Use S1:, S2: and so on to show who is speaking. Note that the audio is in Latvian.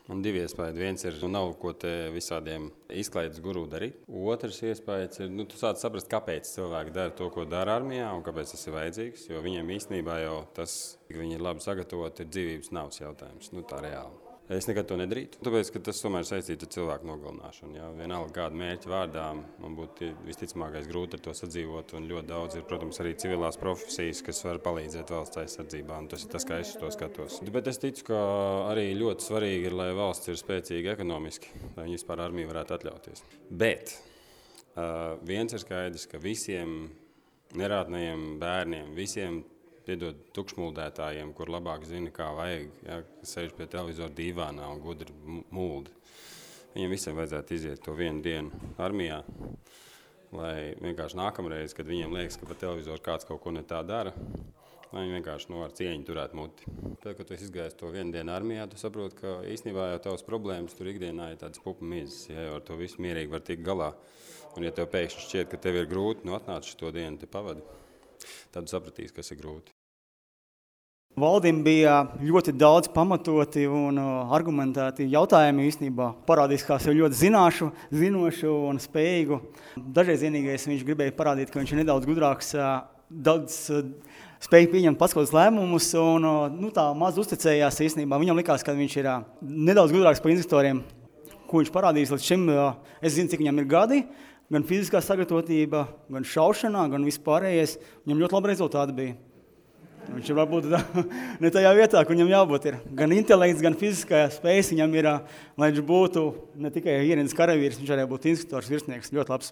S1: Man divi iespējas. Viens ir, nav ko te visādiem izklaides guru darīt. Otrs iespējas ir, tu sāc saprast, kāpēc cilvēki dara to, ko dara armijā un kāpēc tas ir vajadzīgs. Jo viņiem īstenībā jau tas, ka viņi ir labi sagatavoti, ir dzīvības navas jautājums. Tā reāli. Es nekad to nedarītu, tāpēc, ka tas tomēr saistīts ar cilvēku nogalināšanu. Ja? Vienalga kādu mērķu vārdā man būtu visticamākais grūti ar to sadzīvot, un ļoti daudz ir, protams, arī civilās profesijas, kas var palīdzēt valsts aizsardzībā, un tas ir tas, kā es to skatos. Bet es ticu, ka arī ļoti svarīgi ir, lai valsts ir spēcīga ekonomiski, lai viņi vispār armiju varētu atļauties. Bet viens ir skaidrs, ka visiem nerātnajiem bērniem, visiem piedod tukšmuldētājiem, kur labāk zina, kā vajag, ja, kas sēž pie televizora dīvānā un gudri muldi. Viņiem visiem vajadzētu iziet to vienu dienu armijā, lai vienkārši nākamreiz, kad viņiem liekas, ka pa televizoru kāds kaut ko ne tā dara, lai viņi vienkārši ar cieņu turētu muti. Tad, kad tu izgājies to vienu dienu armijā, tu saproti, ka īstenībā jau tavas problēmas tur ikdienā ir tādas pupa mizas, ja ar to visu mierīgi var tikt galā. Un ja tev pēkšņi šķiet, ka tev ir grūti, atnāc šo dienu te pavadi, tad tu sapratīs, kas ir grūti.
S2: Valdim bija ļoti daudz pamatoti un argumentēti jautājumi īstenībā. Parādīs, kā sev ļoti zinošu un spējīgu. Dažreiz vienīgais viņš gribēja parādīt, ka viņš ir nedaudz gudrāks, daudz spēja pieņemt pats kaut kādus lēmumus un tā maz uzticējās īstenībā. Viņam likās, ka viņš ir nedaudz gudrāks par instruktoriem, ko viņš parādīs līdz šim. Es zinu, cik viņam ir gadi, gan fiziskā sagatavotība, gan šaušanā, gan vispārējais. Viņam ļoti labi rezultāti bija. Viņš ir varbūt ne tajā vietā, kur viņam jābūt ir. Gan intelekts, gan fiziskā spējas viņam ir, lai viņš būtu ne tikai ierīnas karavīrs, viņš arī būtu instruktors, virsnieks, ļoti labs.